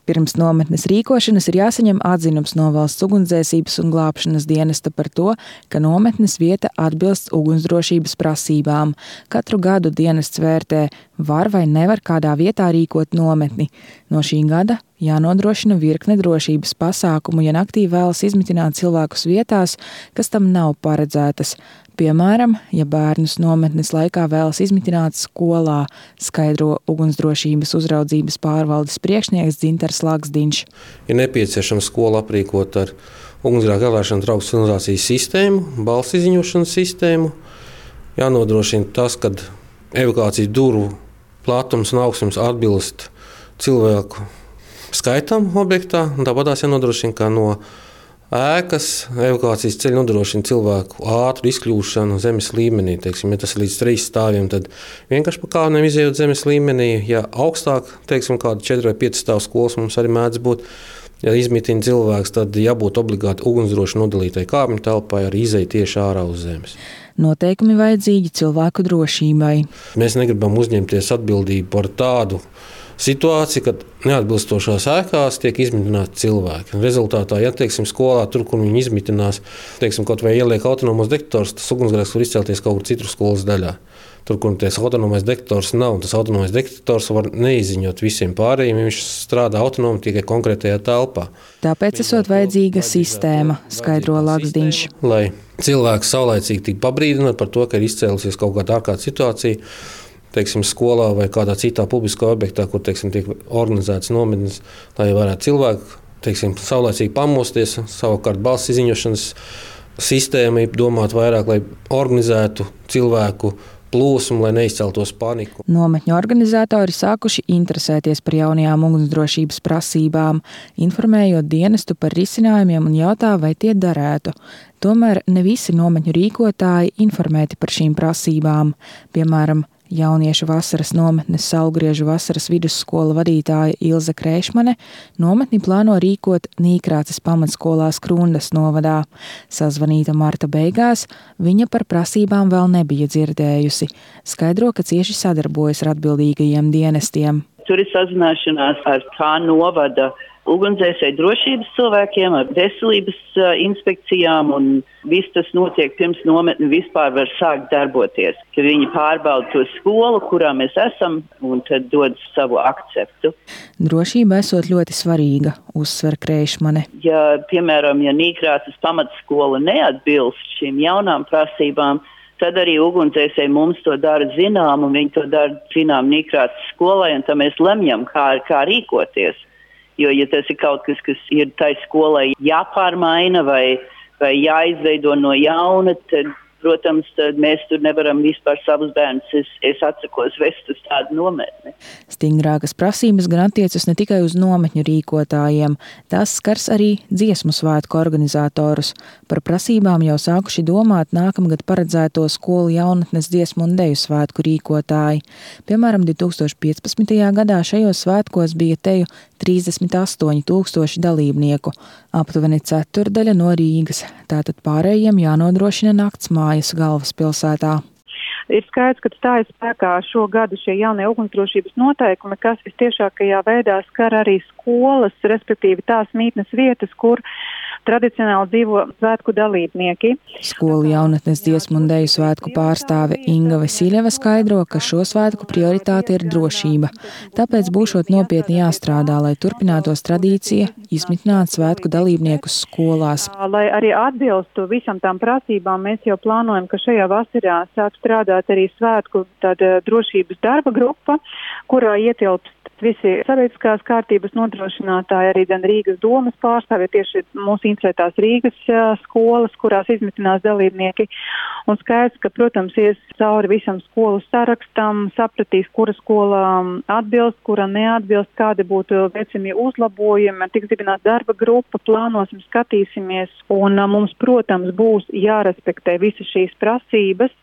Pirms nometnes rīkošanas ir jāsaņem atzinums no Valsts ugunsdzēsības un glābšanas dienesta par to, ka nometnes vieta atbilst ugunsdrošības prasībām. Katru gadu dienests vērtē, var vai nevar kādā vietā rīkot nometni. No šī gada jānodrošina virkne drošības pasākumu, ja naktī vēlas izmitināt cilvēkus vietās, kas tam nav paredzētas. Piemēram, ja bērnus nometnes laikā vēlas izmitināt skolā, skaidro ugunsdrošības uzraudzības pārvaldes priekšnieks Dzintars Laksdiņš. Ir nepieciešams skolu aprīkot ar ugunsgrēku ievērošanas draugu signalizācijas sistēmu, balss izziņošanas sistēmu. Jānodrošina tas, ka evakuācijas durvju platums un augstums atbilst cilvēku skaitam objektā. Tāpat jānodrošina, ka no ēkas evakuācijas ceļa nodrošina cilvēku ātru izkļūšanu zemes līmenī. Teiksim, ja tas ir līdz 3 stāviem, tad vienkārši pa kāpnēm izejot zemes līmenī. Ja augstāk, teiksim, kāda 4 vai 5 stāvu skolas mums arī mēdz būt, ja izmitina cilvēks, tad jābūt obligāti ugunsdroši nodalītai kāpņu telpai, arī izej tieši ārā uz zemes. Noteikumi vajadzīgi cilvēku drošībai. Mēs negribam uzņemties atbildību par tādu situācija, kad neatbilstošās ēkās tiek izmitināti cilvēki. Rezultātā, ja teiksim, skolā, tur, kur viņi izmitinās, teiksim, kaut vai ieliek autonomos detektorus, tas ugunsgrēks var izcelties kaut kur citur skolas daļā. Tur, kur ties autonomais detektors nav, tas autonomais detektors var neizziņot visiem pārējiem, ja viņš strādā autonomi tikai konkrētajā telpā. Tāpēc esot vajadzīga sistēma, skaidro Laksdiņš. Lai cilvēks saulaicīgi tik pabrīdināt par to, ka ir izcēlusies kaut kāda ārkārtas situācija, teiksim, skolā vai kādā citā publiskā objektā, kur teiksim, tiek organizētas nometnes, lai varētu cilvēki teiksim, saulaicīgi pamosties. Savukārt balss izziņošanas sistēma ir domāta vairāk, lai organizētu cilvēku plūsmu, lai neizceltos paniku. Nometņu organizatori sākuši interesēties par jaunajām ugunsdrošības prasībām, informējot dienestu par risinājumiem un jautā, vai tie darētu. Tomēr ne visi nometņu rīkotāji informēti par šīm prasībām. Piemēram, jauniešu vasaras nometnes Saulgriežu vasaras vidusskola vadītāja Ilze Kreišmane nometni plāno rīkot Nīkrāces pamatskolā Skrundas novadā. Sazvanīta marta beigās, viņa par prasībām vēl nebija dzirdējusi. Skaidro, ka cieši sadarbojas ar atbildīgajiem dienestiem. Tur ir sazināšanās ar kā novada ugunsdzēsēju drošības cilvēkiem, ar veselības inspekcijām, un viss tas notiek pirms nometni vispār var sākt darboties. Ka viņi pārbauda to skolu, kurā mēs esam, un tad dod savu akceptu. Drošība esot ļoti svarīga, uzsver Kreišmane. Ja, piemēram, ja Nīkrāces pamatskola neatbilst šīm jaunām prasībām, tad arī ugunsdzēsēji mums to dara zinām, un viņi to dara zinām Nīkrāces skolai, un tad mēs lemjam, kā rīkoties. Jo, ja tas ir kaut kas, kas ir tai skolai jāpārmaina vai jāizveido no jauna, tad, protams, tad mēs tur nevaram vispār savus bērnus. Es atsakos vest uz tādu nometni. Stingrākas prasības gan attiecas ne tikai uz nometņu rīkotājiem, tās skars arī dziesmu svētku organizatorus. Par prasībām jau sākuši domāt nākamgad paredzēto skolu jaunatnes dziesmu un deju svētku rīkotāji. Piemēram, 2015. gadā šajos svētkos bija teju 38,000 dalībnieku, aptuveni ceturdaļa no Rīgas, tātad pārējiem jānodrošina naktsmājas galvaspilsētā. Ir skaidrs, ka stājas spēkā šo gadu šie jaunie ugunsdrošības noteikumi, kas visciešākajā veidā skar arī skolas, respektīvi tās mītnes vietas, kur tradicionāli dzīvo svētku dalībnieki. Skolu jaunatnes dziesmu un deju svētku pārstāve Inga Vasiljeva skaidro, ka šo svētku prioritāte ir drošība. Tāpēc būšot nopietni jāstrādā, lai turpinātos tradīcija izmitināt svētku dalībniekus skolās. Lai arī atbilstu visam tām prasībām, mēs jau plānojam, ka šajā vasarā sāk strādāt arī svētku drošības darba grupa, kurā ietilpst visi sabiedriskās kārtības nodrošinātāji, arī gan Rīgas domas pārstāvji, tieši mūsu interesētās Rīgas skolas, kurās izmitinās dalībnieki. Un skaidrs, ka, protams, ies cauri visam skolu sarakstam, sapratīs, kura skola atbilst, kura neatbilst, kādi būtu veicamie uzlabojumi, tiks dibināta darba grupa, plānosim, skatīsimies, un mums, protams, būs jārespektē visas šīs prasības.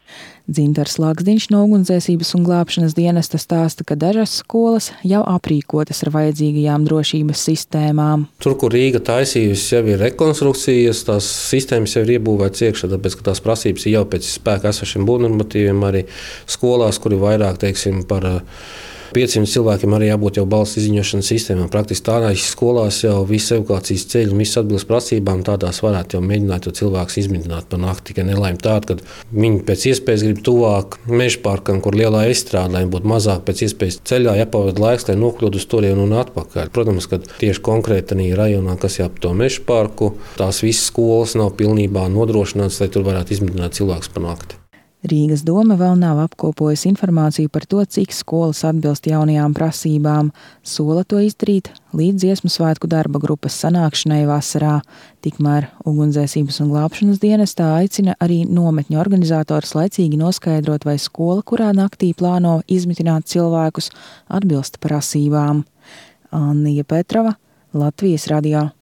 Dzintars Laksdiņš no ugunsdzēsības un glābšanas dienesta stāsta, ka dažas skolas jau aprīkotas ar vajadzīgajām drošības sistēmām. Tur, kur Rīga taisījusi, jau ir rekonstrukcijas, tās sistēmas jau ir iebūvētas iekšā, tāpēc, ka tās prasības ir jau pēc spēka esošiem būvnormatīviem arī skolās, kur ir vairāk, teiksim, par 500 cilvēkiem arī jābūt jau balss izziņošanas sistēmām. Praktiski tādās skolās jau visas evakuācijas ceļi un visas atbilst prasībām, tādās varētu jau mēģināt cilvēkus izmitināt par nakti. Tikai nelaime tāda, ka viņi pēc iespējas grib tuvāk meža parkam, kur lielā izstrāde, lai būtu mazāk pēc iespējas ceļā jāpavada laiks, lai nokļūtu uz turieni un atpakaļ. Protams, ka tieši konkrēti rajonā, kas jāp to meža parku, tās visas skolas nav pilnībā nodrošinātas, lai tur varētu izmitināt cilvēkus par nakti. Rīgas doma vēl nav apkopojusi informāciju par to, cik skolas atbilst jaunajām prasībām. Sola to izdarīt līdz Dziesmu svētku darba grupas sanākšanai vasarā. Tikmēr Ugunsdzēsības un glābšanas dienestā aicina arī nometņu organizators laicīgi noskaidrot, vai skola, kurā naktī plāno izmitināt cilvēkus, atbilst prasībām. Annija Petrova, Latvijas radio.